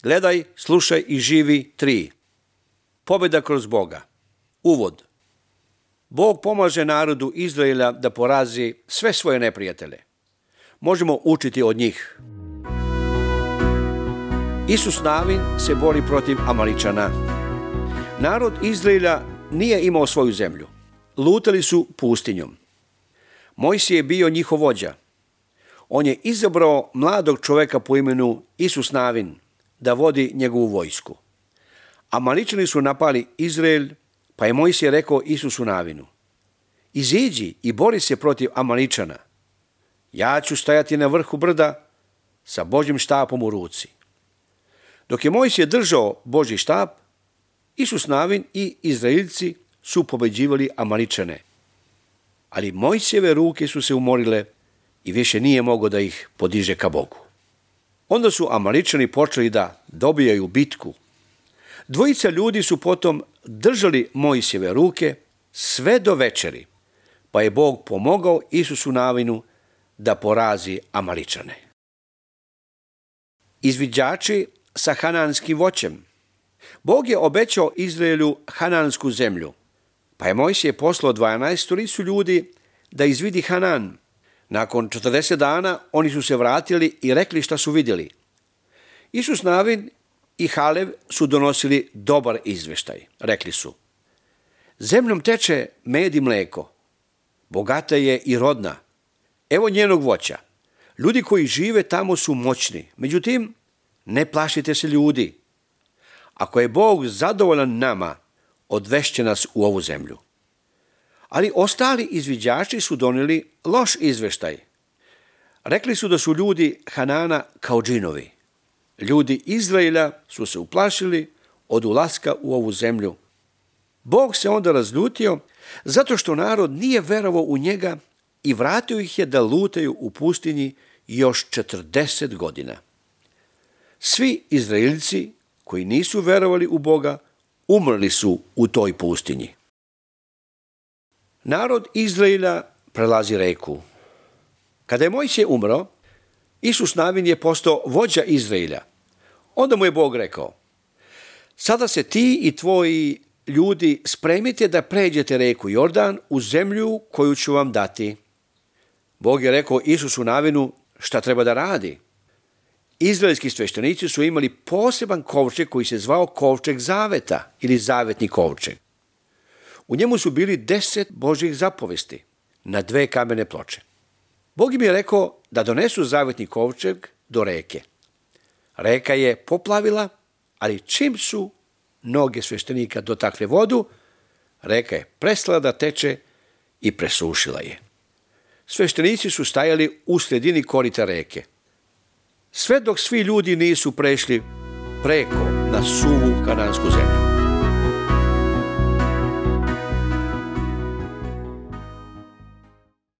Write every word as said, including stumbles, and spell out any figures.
Gledaj, slušaj i živi tri. Pobjeda kroz Boga. Uvod. Bog pomaže narodu Izraela da porazi sve svoje neprijatelje. Možemo učiti od njih. Isus Navin se bori protiv Amaličana. Narod Izraela nije imao svoju zemlju. Lutali su pustinjom. Mojsije je bio njihov vođa. On je izabrao mladog čoveka po imenu Isus Navin da vodi njegovu vojsku. Amaličani su napali Izrael, pa je Mojsije rekao Isusu Navinu: iziđi i bori se protiv Amaličana. Ja ću stajati na vrhu brda sa Božjim štapom u ruci. Dok je Mojsije držao Božji štap, Isus Navin i Izraeljci su pobeđivali Amaličane. Ali Mojsijeve ruke su se umorile i više nije mogao da ih podiže ka Bogu. Onda su Amaličani počeli da dobijaju bitku. Dvojica ljudi su potom držali Mojsijeve ruke sve do večeri, pa je Bog pomogao Isusu Navinu da porazi Amaličane. Izviđači sa hananskim voćem. Bog je obećao Izraelu hanansku zemlju, pa je Mojsije poslao dvanaestoricu ljudi da izvidi Hanan. Nakon četrdeset dana oni su se vratili i rekli šta su vidjeli. Isus Navin i Halev su donosili dobar izveštaj. Rekli su: zemljom teče med i mleko, bogata je i rodna. Evo njenog voća. Ljudi koji žive tamo su moćni. Međutim, ne plašite se ljudi. Ako je Bog zadovoljan nama, odvešće nas u ovu zemlju. Ali ostali izviđači su donijeli loš izveštaj. Rekli su da su ljudi Hanana kao džinovi. Ljudi Izraela su se uplašili od ulaska u ovu zemlju. Bog se onda razljutio zato što narod nije verovao u njega i vratio ih je da lutaju u pustinji još četrdeset godina. Svi Izraeljci koji nisu verovali u Boga umrli su u toj pustinji. Narod Izraela prelazi reku. Kada je Mojsije umro, Isus Navin je postao vođa Izraela. Onda mu je Bog rekao: sada se ti i tvoji ljudi spremite da pređete reku Jordan u zemlju koju ću vam dati. Bog je rekao Isusu Navinu šta treba da radi. Izraelski sveštenici su imali poseban kovčeg koji se zvao kovčeg zaveta ili zavetni kovčeg. U njemu su bili deset Božjih zapovesti na dve kamene ploče. Bog im je rekao da donesu zavetni kovčeg do reke. Reka je poplavila, ali čim su noge sveštenika dotakle vodu, reka je prestala da teče i presušila je. Sveštenici su stajali u sredini korita reke. Sve dok svi ljudi nisu prešli preko na suvu kanansku zemlju.